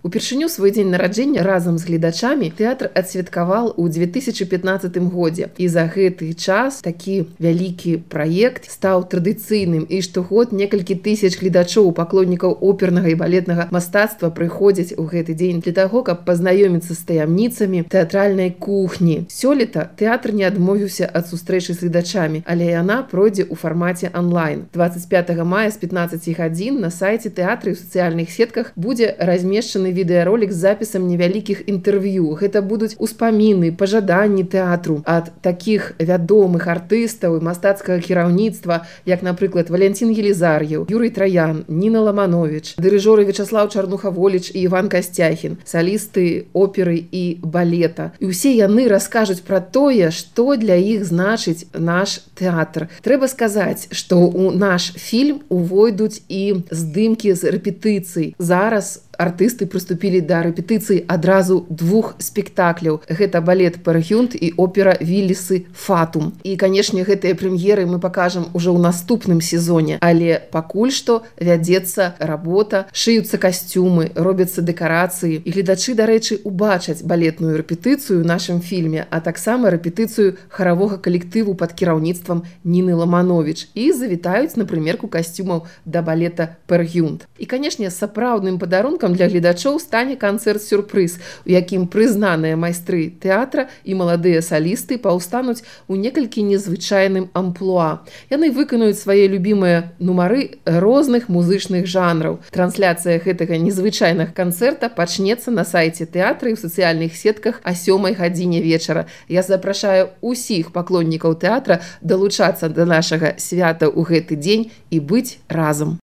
Упершыню свой дзень нараджэння разам з гледачамі тэатр адсвяткаваў у 2015 годзе. І за гэты час такі вялікі праект стаў традыцыйным, і штогод некалькі тысяч гледачоў, паклоннікаў опернага і балетнага мастацтва прыходзяць у гэты дзень для таго, каб пазнаёміцца з таямніцамі тэатральнай кухні. Сёлета тэатр не адмовіўся ад сустрэчы з гледачамі, але яна пройдзе ў фармаце онлайн. 25 мая з 15 гадзін на сайце тэатры і ў сацыяльных сетках будзе размешчаны відэаролік з запісам невялікіх інтэрв'ю. Гэта будуць успаміны, пажаданні тэатру ад такіх вядомых артыстаў і мастацкага кіраўніцтва, як, напрыклад, Валянцін Елізар'еў, Юрый Траян, Ніна Ламанович, дырыжоры Вячаслаў Чарнуха-Воліч і Іван Касцяхін, салісты оперы і балета. І ўсе яны раскажуць пра тое, што для іх значыць наш тэатр. Трэба сказаць, што ў наш фільм увойдуць і здымкі з рэпетыцый. Зараз артысты прыступілі да рэпетыцыі адразу двух спектакляў. Гэта балет «Пергюнт» і опера «Віллісы Фатум». І, канешне, гэтыя прэм'еры мы пакажам ужо ў наступным сезоне. Але пакуль што вядзецца работа, шыюцца касцюмы, робяцца дэкарацыі. І гледачы, дарэчы, убачаць балетную рэпетыцыю ў нашым фільме, а таксама рэпетыцыю харавога калектыву пад кіраўніцтвам Ніны Ламанович і завітаюць на прымерку касцюмаў да балета «Пергюнт». І, канешне, сапраўдным падарункам для гледачоў стане канцэрт-сюрпрыз, у якім прызнаныя майстры тэатра і маладыя салісты паўстануць у некалькі незвычайным амплуа. Яны выканаюць свае любімыя нумары розных музычных жанраў. Трансляцыя гэтага незвычайнага канцэрта пачнецца на сайце тэатра і ў сацыяльных сетках о 7 гадзіне вечара. Я запрашаю усіх паклоннікаў тэатра далучацца да нашага свята ў гэты дзень і быць разам.